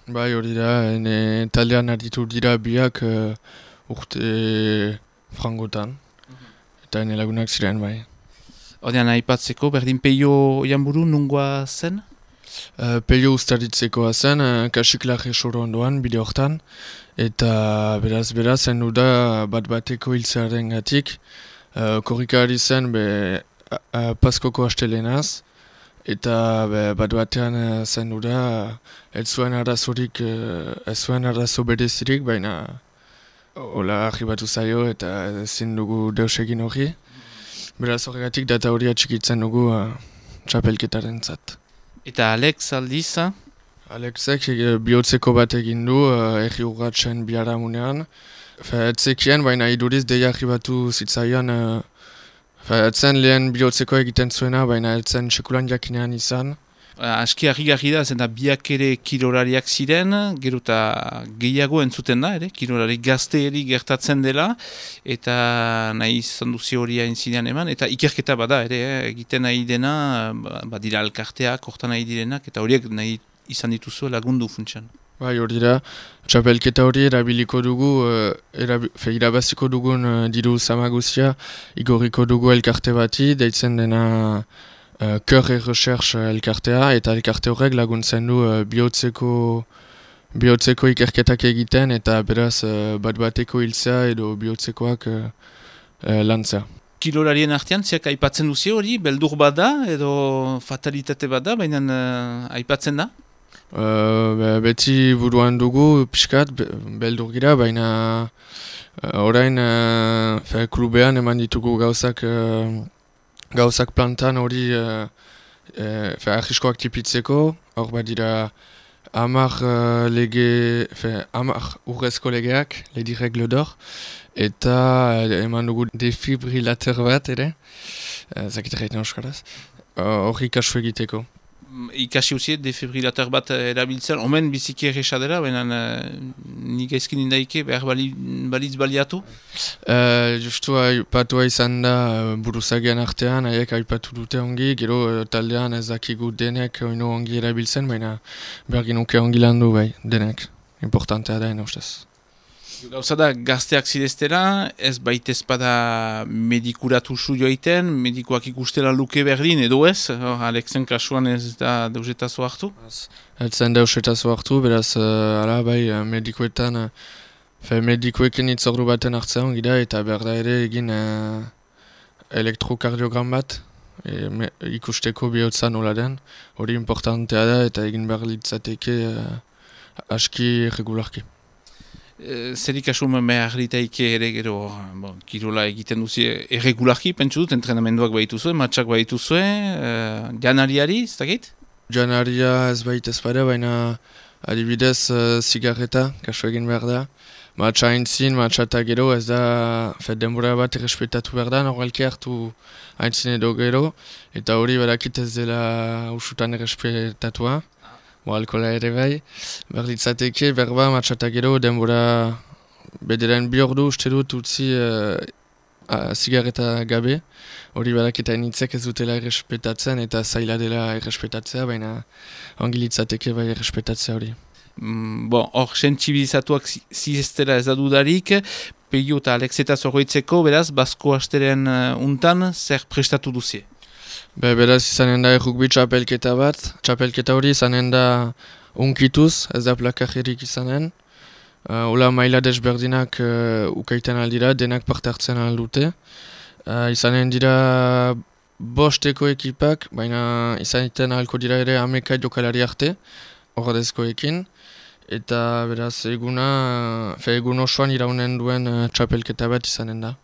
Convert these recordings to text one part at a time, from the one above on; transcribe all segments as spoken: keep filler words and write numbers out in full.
Bai, hori da, ene taldean aritu dira biak uh, urte frangotan, eta ene lagunak ziren, bai. Ordean aipatzeko, berdin peio janburu nungoa zen? Uh, Peio ustaritzekoa zen, uh, kasiklarre soro ondoan, bide hortan, eta beraz, beraz, zen da bat bateko hiltzearen gatik, uh, korrikari zen be uh, uh, paskoko astelenaz, eta be, bat batean uh, zen da uh, ez zuen arazorik, uh, ez zuen arazo berezirik, baina hola arribatu zaio eta ezin dugu deus egin hori. Beraz horregatik data hori atxikitzen dugu uh, txapelketaren zat. Eta Alex aldiz? Alexek e, bihotzeko bat egin du uh, erri urratzen biharamunean. Fe, etzekien, baina iduriz deia arribatu zitzaion. Uh, fe, etzen lehen bihotzeko egiten zuena, baina etzen sekulan jakinean izan. Aski harri-garri da, zen da biak ere kirolariak ziren, gero eta gehiago entzuten da, ere, kirolari gazteeri gertatzen dela, eta nahi izan duzi hori hain zinean eman, eta ikerketa bada, ere, eh, egiten nahi dena, badira alkarteak, hortan nahi direnak, eta horiek nahi izan dituzu lagundu funtsan. Bai, hori da, txapelketa hori erabiliko dugu, uh, erabi, fe, irabaziko dugun uh, diru zamaguzia, igoriko dugu elkarte bati, deitzen dena Uh, Kör et Recherche elkartea, eta elkarte horrek laguntzen du uh, bihotzeko, bihotzeko ikerketak egiten, eta beraz uh, bat bateko hiltzea edo bihotzekoak uh, uh, lantzea. Kirolarien artean, ziak aipatzen duzi hori, beldur bada edo fatalitate bada, baina uh, aipatzen da? Uh, be, beti buruan dugu pixkat, be, beldur gira, baina uh, orain uh, fe, klubean eman ditugu gauzak uh, gauzak plantan hori uh, uh, ahiskoak tipitzeko, hor badira hamar uh, lege, hamar urrezko legeak, ledi regle d'or, eta uh, eman dugu defibrilator bat ere, uh, zakit erraiten euskaraz, hori uh, kasu egiteko. Ikasi usiet defibrilator bat erabiltzen, omen biziki erresa dela, baina uh, nik ezkin indaike behar bali, balitz baliatu? Uh, justu aipatua izan da uh, buruzagian artean, haiek aipatu dute ongi, gero uh, taldean ez dakigu denek oino ongi erabiltzen, baina behar ginuke ongi landu bai, denek. Importantea da, ena ustez. Gauza da, gazteak zideztera, ez baitez bada medikuratu zu joiten, medikuak ikustela luke berdin, edo ez? Hor, Alexen kasuan ez da deusetazo hartu? Ez zen deusetazo hartu, beraz, uh, ala, bai, medikuetan, uh, fe, medikuekin itzordu baten hartzean gira, eta behar da ere egin uh, elektrokardiogram bat, e, me, ikusteko bihotza nola den, hori importantea da, eta egin behar litzateke uh, aski regularki. Zer ikasumen behar ditaike ere gero, bon, kirola egiten duzi erregularki, pentsu dut, entrenamenduak baitu zuen, matxak baitu zuen, uh, janariari, ez dakit? Janaria ez bait ez bada, baina adibidez uh, zigarreta, kasu egin behar da. Matxa haintzin, matxa eta gero, ez da, fet denbora bat errespetatu behar da, normalki hartu haintzin edo gero, eta hori badakit ez dela usutan errespetatua. Bo, alkola ere bai, behar ditzateke, berba, matxata gero, denbora bederen bi ordu uste dut utzi uh, uh, zigarreta gabe. Hori badaketa initzek ez dutela errespetatzen eta zaila dela errespetatzea, baina ongi litzateke bai errespetatzea hori. Mm, bon, hor, sentsibilizatuak zizestera ez da dudarik, Peio eta Alexeta zorroitzeko, beraz, Basko asteren uh, untan, zer prestatu duzie? Be, beraz izanen da errukbi txapelketa bat, txapelketa hori izanen da unkituz, ez da plakajerik izanen. Uh, Ola maila desberdinak uh, ukaiten aldira, denak parte hartzen aldute. Uh, izanen dira bosteko ekipak, baina izanen ahalko dira ere hameka jokalari arte, ordezkoekin. Eta beraz eguna, fe egun osoan iraunen duen uh, txapelketa bat izanen da.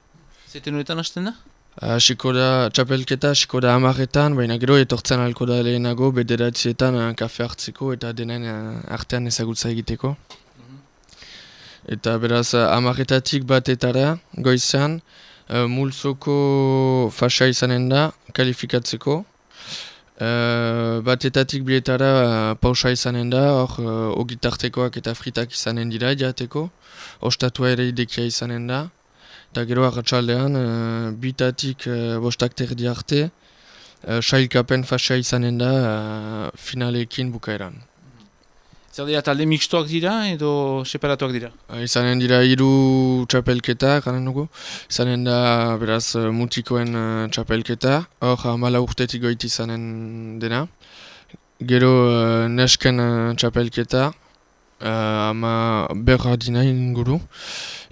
Zeten horretan hasten da? Hasiko da, txapelketa hasiko da hamarretan, baina gero etortzen ahalko da lehenago, bederatzietan uh, kafe hartzeko eta denen uh, artean ezagutza egiteko. Mm-hmm. Eta beraz hamarretatik batetara, goizean, uh, multzoko fasa izanen da, kalifikatzeko. Uh, batetatik bietara uh, pausa izanen da, hor uh, ogitartekoak eta fritak izanen dira jateko, ostatua ere idekia izanen da. Eta gero arratsaldean, uh, bitatik uh, bostak terdi arte, uh, sailkapen fasa izanen da uh, finalekin bukaeran. Zer dira talde mixtoak dira edo separatuak dira? Izanen dira hiru txapelketa, garen dugu. Izanen da, beraz, mutikoen uh, txapelketa. Hor, hamala urtetik goiti izanen dena. Gero uh, nesken uh, txapelketa, uh, ama berra dina inguru.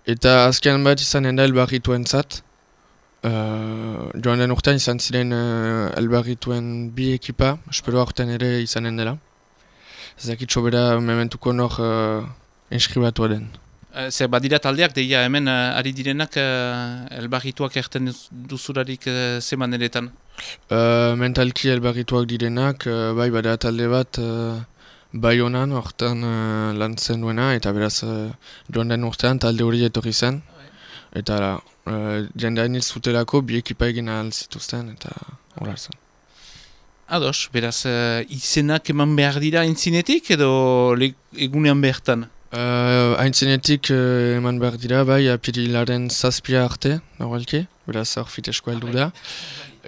Eta azken bat izanen da elbarrituen zat. Uh, joan den urtean izan ziren uh, elbarrituen bi ekipa. Espero aurten ere izanen dela. Ezakitxo bera mementuko nor uh, inskribatua den. Uh, Zer badira taldeak, deia hemen uh, ari direnak uh, elbarrituak erten duzularik uh, zeman eretan? Uh, mentalki elbarrituak direnak, uh, bai bada talde bat uh, bai honan, hortan uh, lan zen duena, eta beraz uh, joan den urtean talde hori etorri zen. Eta uh, jendean hil zutelako bi ekipa egin ahal zituzten, eta horar zen. Ados, beraz, uh, izenak eman behar dira aintzinetik edo egunean behartan? Uh, Aintzinetik uh, eman behar dira, bai, apirilaren zazpia arte, normalki, beraz hor fitesko heldu da.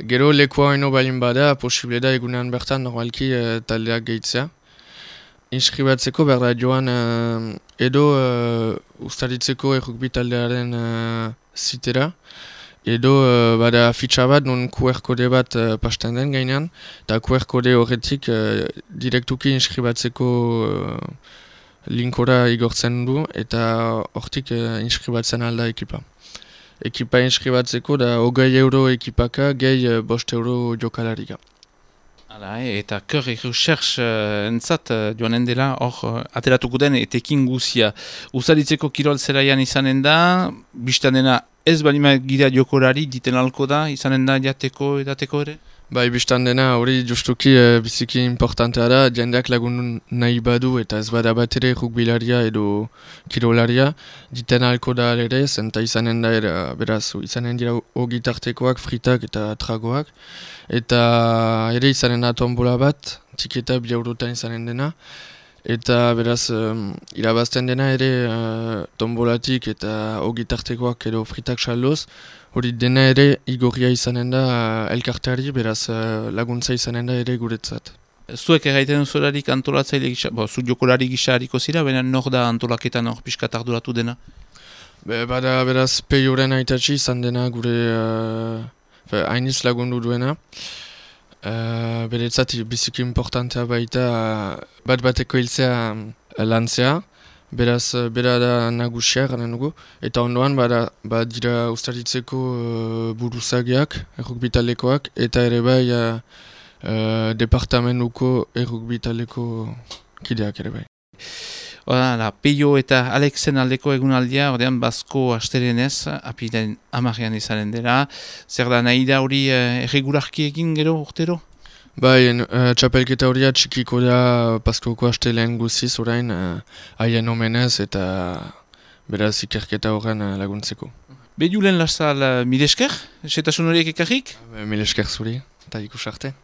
Gero lekua haino balin bada, posible da egunean bertan normalki uh, taldeak gehitzea. Inskribatzeko behar da joan uh, edo uh, ustaritzeko errukbi taldearen uh, zitera. Edo uh, bada fitxa bat, non Q R kode bat uh, pasten den gainean, eta Q R kode horretik uh, direktuki inskribatzeko uh, linkora igortzen du, eta hortik uh, inskribatzen alda ekipa. Ekipa inskribatzeko da hogei euro ekipaka, gehi uh, bost euro jokalarika. Hala, eh, eta Kör Recherche uh, entzat uh, joanen dela hor uh, ateratuko den etekin guzia. Uzaritzeko kirol zelaian izanen da, biztan dena ez balima gira jokorari diten alko da, izanen da jateko edateko ere? Bai, biztan dena hori justuki uh, biziki importantea da, jendeak lagun nahi badu eta ez bada bat ere rugbilaria edo kirolaria, diten alko da ere, zenta izanen da era, beraz, izanen dira ogitartekoak, fritak eta tragoak, eta ere izanen da tombola bat, tiketa bi eurotan izanen dena, eta beraz, um, irabazten dena ere uh, tombolatik eta ogitartekoak edo fritak saldoz, hori dena ere igorria izanen da uh, elkarteari, beraz uh, laguntza izanen da ere guretzat. Zuek erraiten zularik antolatzaile gisa, bo, zu jokolari gisa hariko zira, baina nor da antolaketan hor pixkat arduratu dena? Be, bada beraz peioren aitatxi izan dena gure uh, hainiz lagundu duena. Uh, Beretzat biziki importantea baita uh, bat bateko hiltzea uh, lantzea, beraz uh, bera da nagusia garen dugu, eta ondoan bada, bada dira ustaritzeko uh, buruzagiak, errukbitalekoak, eta ere bai uh, uh, departamentuko errukbitaleko kideak ere bai. Hala, Peio eta Alexen aldeko egunaldia, ordean Basko asterenez, apilen amarean izanen dela. Zer da nahi da hori eh, erregularki egin gero urtero? Bai, uh, txapelketa horia txikiko da Baskoko astelen guziz orain uh, haien omenez eta beraz ikerketa horren uh, laguntzeko. Be Julen Lasal, uh, mil esker, setasun horiek ekarrik? Mil esker zuri, eta ikus arte.